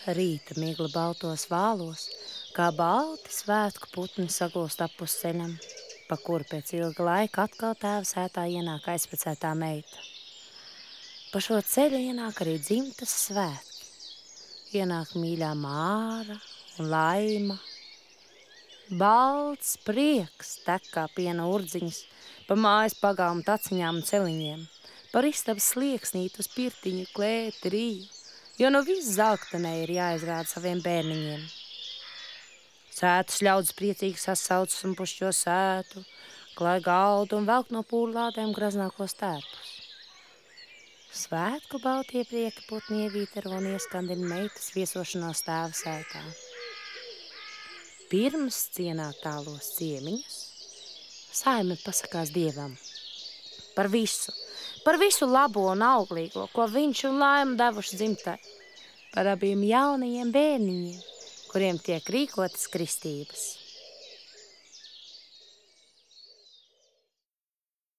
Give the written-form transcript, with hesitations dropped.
Rīta migla baltos vālos, kā balti svētku putni sagūst ap uz ceļam, pa kuru pēc ilga laika atkal tēva sētā ienāk aizpacētā meita. Pa šo ceļu ienāk arī dzimtas svētki. Ienāk mīļā Māra un Laima. Balts prieks tek kā piena urdziņas, pa mājas pagāmu taciņām un celiņiem, par istabas slieksnīt uz pirtiņu, klēti, riju, jo no viss zelktenē ir jāizrāda saviem bērniņiem. Sētas ļaudis priecīgi sasaucas un pušķo sētu, klāj galdu un velk no pūrlādēm graznākos tērpus. Svētku baltie prieka putni ievītero un ieskandina meitas viesošanos tēva sētā. Pirms cienāt tālos ciemiņus, saime pasakās Dievam par visu labo un auglīgo, ko viņš un Laima devuši dzimtai, par abiem jaunajiem bērniņiem, kuriem tiek rīkotas kristības.